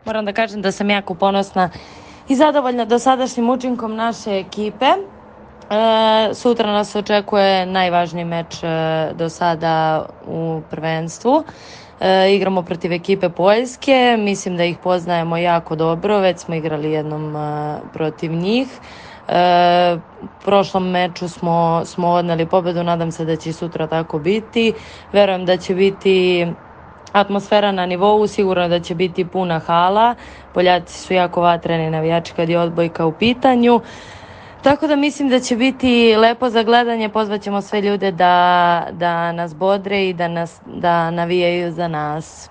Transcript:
Moram da kažem da sam jako ponosna i zadovoljna dosadašnjim učinkom naše ekipe. Sutra nas očekuje najvažniji meč do sada u prvenstvu. Igramo protiv ekipe Poljske, mislim da ih poznajemo jako dobro, već smo igrali jednom protiv njih. U prošlom meču smo odneli pobedu, nadam se da će sutra tako biti. Verujem da će biti atmosfera na nivou, sigurno da će biti puna hala. Poljaci su jako vatreni navijači kad je odbojka u pitanju. Tako da mislim da će biti lepo za gledanje, pozvaćemo sve ljude da nas bodre i da navijaju za nas.